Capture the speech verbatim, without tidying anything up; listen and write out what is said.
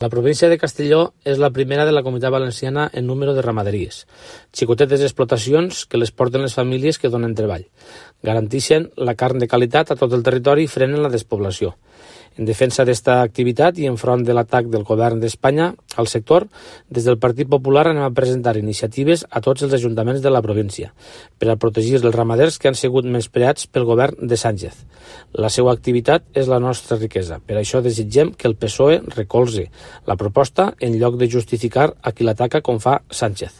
La província de Castelló és la primera de la Comunitat Valenciana en número de ramaderies, xicotetes explotacions que les porten les famílies que donen treball, garanteixen la carn de qualitat a tot el territori i frenen la despoblació. En defensa d'esta activitat i enfront de l'atac del govern d'Espanya al sector, des del Partit Popular anem a presentar iniciatives a tots els ajuntaments de la província per a protegir els ramaders que han sigut menyspreats pel govern de Sánchez. La seva activitat és la nostra riquesa. Per això desitgem que el P S O E recolze la proposta en lloc de justificar a qui l'ataca com fa Sánchez.